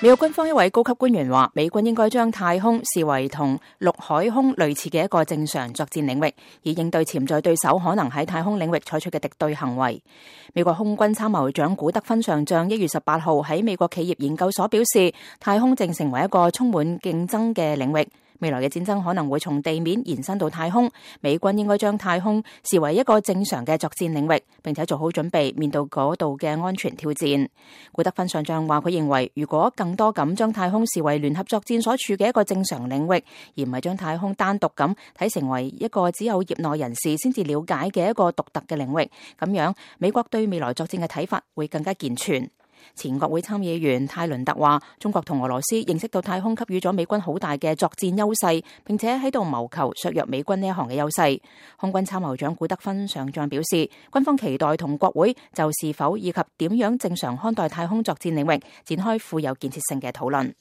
美國軍方一位高級官員話，美軍應該將太空視為同陸海空類似嘅一個正常作戰領域，以應對潛在對手可能喺太空領域採取嘅敵對行為。美國空軍參謀長古德芬上將1月18號喺美國企業研究所表示，太空正成為一個充滿競爭嘅領域。未來嘅戰爭可能會從地面延伸到太空，美軍應該將太空視為一個正常嘅作戰領域，並且做好準備面對嗰度嘅安全挑戰。古德芬上將話，佢認為如果更多咁將太空視為聯合作戰所處嘅一個正常領域，而唔係將太空單獨咁睇成為一個只有業內人士先至了解嘅一個獨特嘅領域，咁樣美國對未來作戰嘅睇法會更加健全。前國會參議員泰倫特話，中國同俄羅斯認識到太空給予咗美軍好大嘅作戰優勢，並且喺度謀求削弱美軍呢一項嘅優勢。空軍參謀長古德芬上將表示，軍方期待同國會就是否以及點樣正常看待太空作戰領域展開富有建設性嘅討論。